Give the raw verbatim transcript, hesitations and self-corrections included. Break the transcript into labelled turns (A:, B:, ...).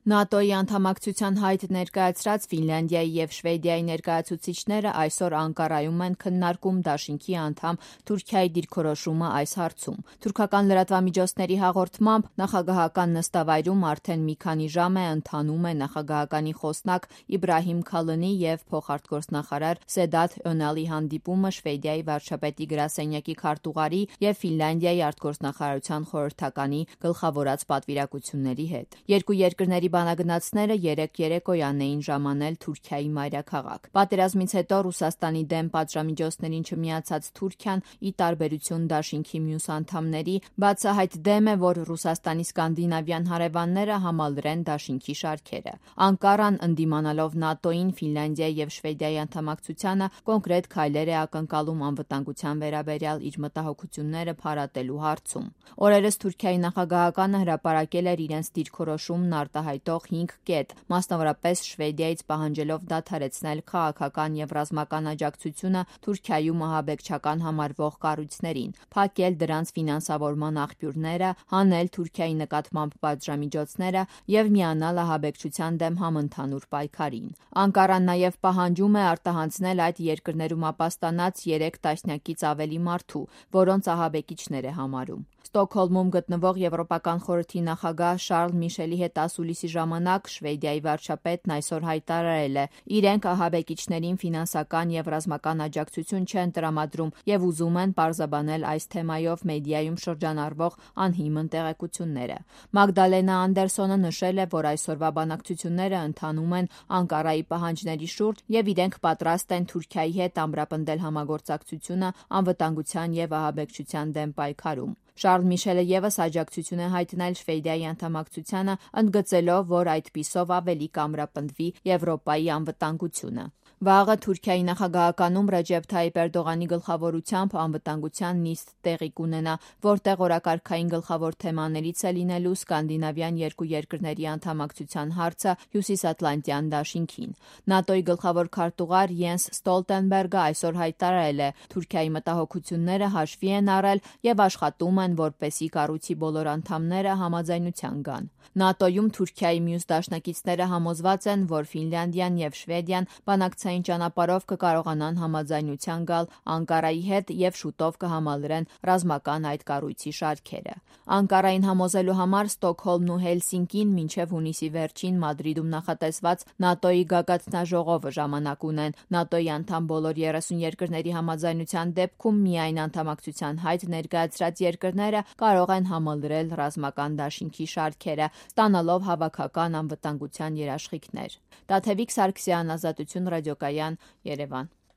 A: ՆԱՏՕ-ի անդամակցության հայտ ներկայացրած Ֆինլանդիայի և Շվեդիայի ներկայացուցիչները այսօր Անկարայում են քննարկում դաշինքի անդամ Թուրքիայի դիրքորոշումը այս հարցում։ Թուրքական լրատվամիջոցների հաղորդմամբ նախագահական նստավայրում արդեն մի քանի ժամ է ընթանում է նախագահականի խոսնակ Իբրահիմ Քալնի և փոխարտգործնախարար Սեդաթ Օնալի հանդիպումը Շվեդիայի վարչապետի գրասենյակի քարտուղարի և Ֆինլանդիայի արտգործնախարարության խորհրդականի գլխավորած պատվիրակությունների հետ։ Երկու երկրների բանագնացները երեկ երեկոյան էին ժամանել Թուրքիայի մայրաքաղաք։ Պատերազմից հետո Ռուսաստանի դեմ պատժամիջոցներին չմիացած Թուրքիան, ի տարբերություն դաշինքի մյուս անդամների, բացահայտ դեմ է, որ Ռուսաստանի սկանդինավյան հարևանները համալրեն դաշինքի շարքերը։ Անկարան, ընդդիմանալով ՆԱՏՕ-ին, Ֆինլանդիայի և Շվեդիայի անդամակցությանը, կոնկրետ քայլեր է ակնկալում անվտանգության վերաբերյալ իր մտահոգությունները փարատելու հարցում։ Օրերս Թուրքիայի նախագահականը հրապարակել էր իրենց դիրքորոշումն արտահայտող հինգ կետ, մասնավորապես Շվեդիայից պահանջելով դադարեցնել քաղաքական և ռազմական աջակցությունը Թուրքիայում ահաբեկչական համարվող կառույցներին, փակել դրանց ֆինանսավորման աղբյուրները, հանել Թուրքիայի նկատմամբ պատժամիջոցները և միանալ ահաբեկչության դեմ համընդհանուր պայքարին։ Անկարան նաև պահանջում է արտահանձնել այդ երկրներում ապաստանած երեք տասնյակից ավելի մարդու, որոնց ահաբեկիչներ է համարում։ Ստոկհոլմում գտնվող Եվրոպական խորհրդի նախագահ Շարլ Միշելի հետ ասուլիսի ժամանակ Շվեդիայի վարչապետն այսօր հայտարարել է՝ իրենք ահաբեկիչներին ֆինանսական և ռազմական աջակցություն չեն տրամադրում և ուզում են պարզաբանել այս թեմայով մեդիայում շրջանառվող անհիմն տեղեկությունները։ Մագդալենա Անդերսոնը նշել է, որ այսօրվա բանակցությունները ընթանում են Անկարայի պահանջների շուրջ և իրենք պատրաստ են Թուրքիայի հետ ամրապնդել համագործակցությունը անվտանգության և ահաբեկչության դեմ պայքարում։ Շարլ Միշելը ևս աջակցություն է հայտնել Շվեդիայի անդամակցությանը, ընդգծելով, որ այդպիսով ավելի կամրապնդվի Եվրոպայի անվտանգությունը։ Վաղը Թուրքիայի նախագահականում Ռեջեփ Թայիփ Էրդողանի գլխավորությամբ անվտանգության նիստ տեղի կունենա, որտեղ օրակարգային գլխավոր թեմաներից է լինելու սկանդինավյան երկու երկրների անդամակցության հարցը Հյուսիսատլանտյան դաշինքին։ ՆԱՏՕ-ի գլխավոր քարտուղար Յենս Ստոլտենբերգը այսօր հայտարարել է՝ Թուրքիայի մտահոգությունները հաշվի են առել և աշխատում են, որպեսզի կառույցի բոլոր անդամները համաձայնության գան։ ՆԱՏՕ-ում Թուրքիայի մյուս դաշնակիցները համոզված են, որ Ֆինլանդիան և Շվեդիան բանակցային ճանապարհով կկարողանան համաձայնության գալ Անկարայի հետ և շուտով կհամալրեն ռազմական այդ կառույցի շարքերը։ Անկարային համոզելու համար Ստոկհոլմն ու Հելսինկին մինչև հունիսի վերջին Մադրիդում նախատեսված ՆԱՏՕ-ի գագաթնաժողովը ժամանակ ունեն։ ՆԱՏՕ-ի անդամ բոլոր երեսուն երկրների համաձայնության դեպքում միայն անդամակցության հայտ ներկայացրած երկրները կարող են համալրել ռազմական դաշինքի շարքերը, ստանալով հավաքական անվտանգության երաշխիքներ։ Տաթևիկ Սարգսյան, Ազատություն ռադիոկայան, Երևան։